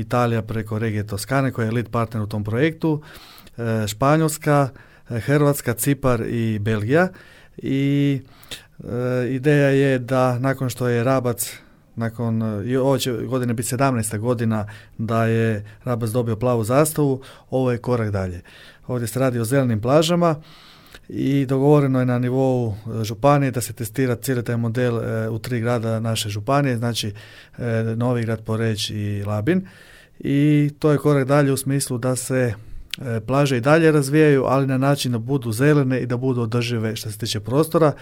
Italija preko regije Toskane koja je lead partner u tom projektu, Španjolska, Hrvatska, Cipar i Belgija. I ideja je da nakon što je Rabac, ove će godine biti 17. godina da je Rabac dobio plavu zastavu, ovo je korak dalje. Ovdje se radi o zelenim plažama i dogovoreno je na nivou županije da se testira cijeli taj model u 3 grada naše županije, znači Novigrad, Poreč i Labin. I to je korak dalje u smislu da se plaže i dalje razvijaju, ali na način da budu zelene i da budu održive što se tiče prostora.